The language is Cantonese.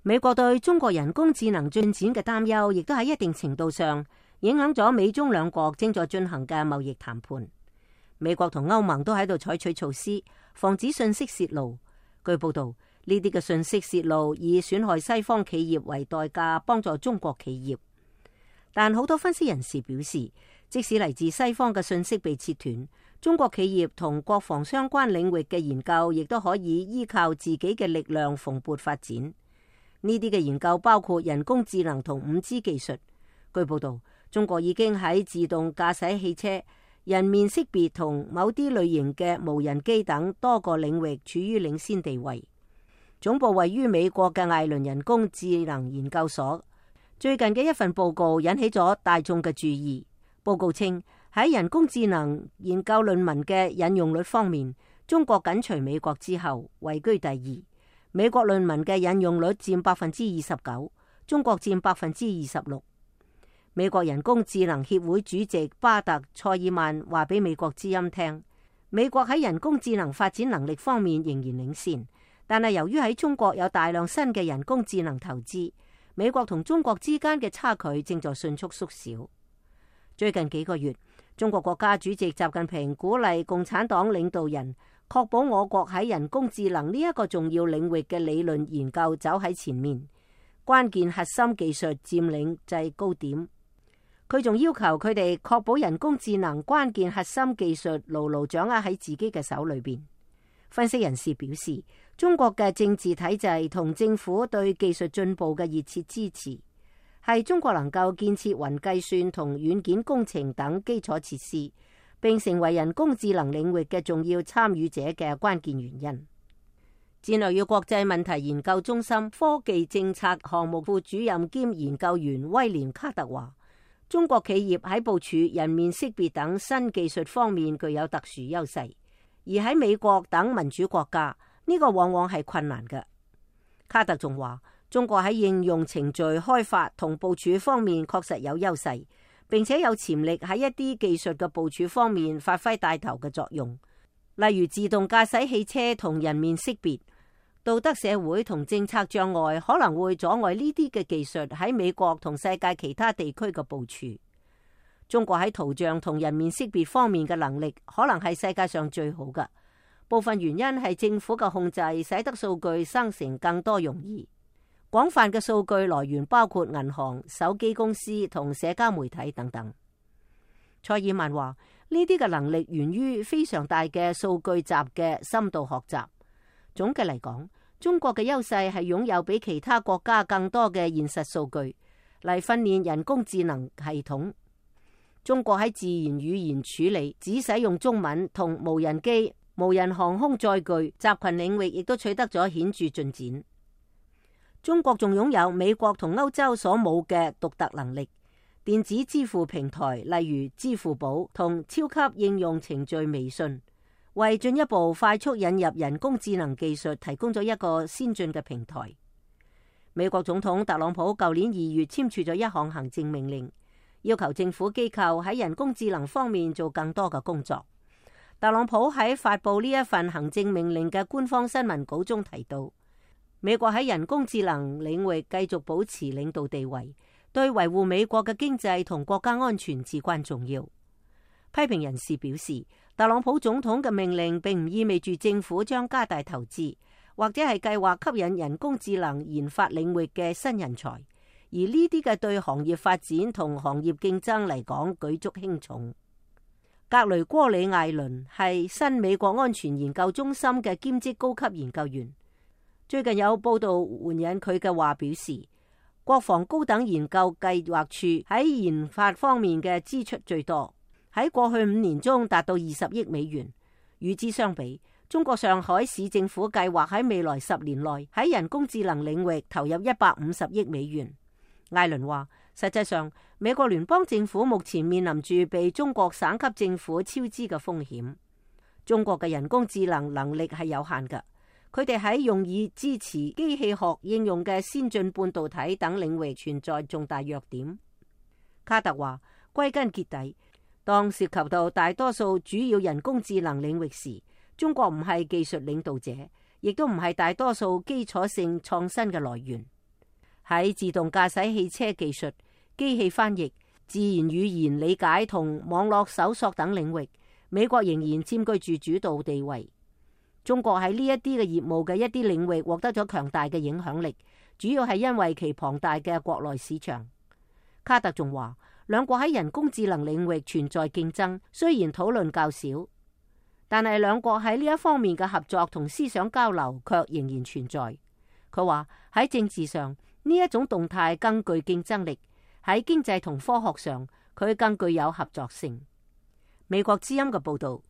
美國對中國人工智能進展嘅擔憂，亦都喺一定程度上影響咗美中兩國正在進行嘅貿易談判。美國同歐盟都喺度採取措施，防止信息洩露。據報道，呢啲嘅信息洩露以損害西方企業為代價，幫助中國企業。但好多分析人士表示，即使嚟自西方嘅信息被切斷，中國企業同國防相關領域嘅研究亦都可以依靠自己嘅力量蓬勃發展。呢啲嘅研究包括人工智能同5G 技術。據報道，中國已經喺自動駕駛汽車、人面識別同某啲類型嘅無人機等多個領域處於領先地位。總部位於美國嘅艾倫人工智能研究所最近嘅一份報告引起咗大眾嘅注意。報告稱，喺人工智能研究論文嘅引用率方面，中國緊隨美國之後位居第2。美國論文嘅引用率佔29%，中國佔26%。美國人工智能協會主席巴特塞爾曼話俾美國之音聽，美國喺人工智能發展能力方面仍然領先，但係由於喺中國有大量新嘅人工智能投資，美國同中國之間嘅差距正在迅速縮小。最近幾個月，中國國家主席習近平鼓勵共產黨領導人確保我國喺人工智能呢一個重要領域嘅理論研究走喺前面，關鍵核心技術佔領制高點。佢仲要求佢哋確保人工智能關鍵核心技術牢牢掌握喺自己嘅手裏邊。分析人士表示，中國嘅政治體制同政府對技術進步嘅熱切支持，係中國能夠建設雲計算同軟件工程等基礎設施，並成為人工智能領域嘅重要參與者嘅關鍵原因。戰略與國際問題研究中心科技政策項目副主任兼研究員威廉卡特話，中國企業喺部署人面識別等新技術方面具有特殊優勢，而喺美國等民主國家，呢個往往係困難嘅。卡特仲話，中國喺應用程序開發同部署方面確實有優勢，並且有潛力喺一啲技術嘅部署方面發揮帶頭嘅作用，例如自動駕駛汽車同人面識別。道德社會同政策障礙可能會阻礙呢啲嘅技術喺美國同世界其他地區嘅部署。中國喺圖像同人面識別方面嘅能力可能係世界上最好嘅，部分原因係政府嘅控制使得數據生成更多容易。廣泛嘅數據來源包括銀行、手機公司同社交媒體等等。塞爾曼話，呢啲嘅能力源於非常大嘅數據集嘅深度學習。總嘅嚟講，中國嘅優勢係擁有比其他國家更多嘅現實數據嚟訓練人工智能系統。中國喺自然語言處理、只使用中文同無人機、無人航空載具集群領域亦都取得咗顯著進展。中國仲擁有美國同歐洲所冇嘅獨特能力，電子支付平台例如支付寶同超級應用程序微信，為進一步快速引入人工智能技術提供咗一個先進嘅平台。美國總統特朗普舊年2月簽署咗一項行政命令，要求政府機構喺人工智能方面做更多嘅工作。特朗普喺發布呢一份行政命令嘅官方新聞稿中提到，美國喺人工智能領域繼續保持領導地位，對維護美國嘅經濟同國家安全至關重要。批評人士表示，特朗普總統嘅命令並唔意味住政府將加大投資，或者係計劃吸引人工智能研發領域嘅新人才，而呢啲嘅對行業發展同行業競爭嚟講舉足輕重。格雷戈里艾倫係新美國安全研究中心嘅兼職高級研究員，最近有報道援引佢嘅話表示，國防高等研究計劃處喺研發方面嘅支出最多，喺過去5年中達到20億美元。與之相比，中國上海市政府計劃喺未來10年內喺人工智能領域投入150億美元。艾倫話，實際上美國聯邦政府目前面臨住被中國省級政府超支嘅風險。中國嘅人工智能能力係有限嘅，佢哋喺用以支持機器學應用嘅先進半導體等領域存在重大弱點。卡特話，歸根結底，當涉及到大多數主要人工智能領域時，中國唔係技術領導者，亦都唔係大多數基礎性創新嘅來源。喺自動駕駛汽車技術、機器翻譯、自然語言理解同網絡搜索等領域，美國仍然佔據住主導地位。中國喺呢一啲嘅業務嘅一啲領域獲得咗強大嘅影響力，主要係因為其龐大嘅國內市場。卡特仲話，兩國喺人工智能領域存在競爭，雖然討論較少，但係兩國喺呢一方面嘅合作同思想交流卻仍然存在。佢話喺政治上呢一種動態更具競爭力，喺經濟同科學上佢更具有合作性。美國之音嘅報道。